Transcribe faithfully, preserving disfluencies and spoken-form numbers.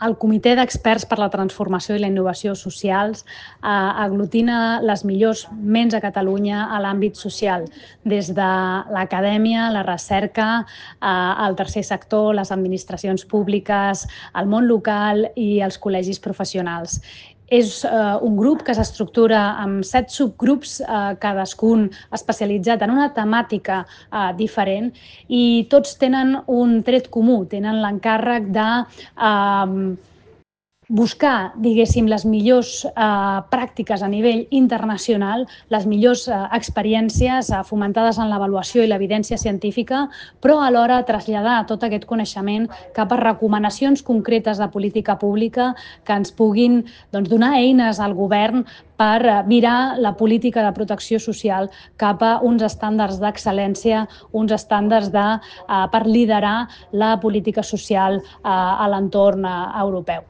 El Comitè d'Experts per la Transformació i la Innovació Socials eh, aglutina les millors ments a Catalunya a l'àmbit social, des de l'acadèmia, la recerca, eh, el tercer sector, les administracions públiques, el món local i els col·legis professionals. És eh, un grup que s'estructura amb set subgrups, eh, cadascun especialitzat en una temàtica eh, diferent, i tots tenen un tret comú, tenen l'encàrrec de eh, buscar, diguéssim, les millors eh, pràctiques a nivell internacional, les millors eh, experiències eh, fomentades en l'avaluació i l'evidència científica, però alhora traslladar tot aquest coneixement cap a recomanacions concretes de política pública que ens puguin doncs, donar eines al govern per eh, virar la política de protecció social cap a uns estàndards d'excel·lència, uns estàndards de, eh, per liderar la política social eh, a l'entorn eh, europeu.